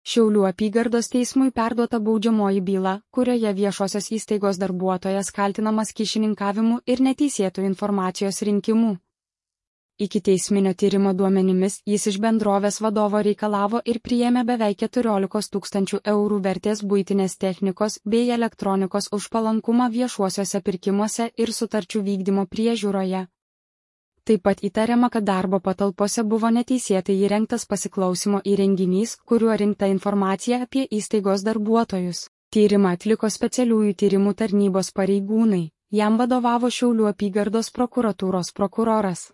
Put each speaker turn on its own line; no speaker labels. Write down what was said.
Šiaulių apygardos teismui perduota baudžiamoji byla, kurioje viešosios įstaigos darbuotojas kaltinamas kyšininkavimu ir neteisėtų informacijos rinkimu. Ikiteisminio tyrimo duomenimis jis iš bendrovės vadovo reikalavo ir priėmė beveik 14 000 eurų vertės buitinės technikos bei elektronikos už palankumą viešuosiuose pirkimuose ir sutarčių vykdymo priežiūroje. Taip pat įtariama, kad darbo patalpose buvo neteisėtai įrengtas pasiklausimo įrenginys, kuriuo rinkta informacija apie įstaigos darbuotojus. Tyrimą atliko specialiųjų tyrimų tarnybos pareigūnai, jam vadovavo Šiaulių apygardos prokuratūros prokuroras.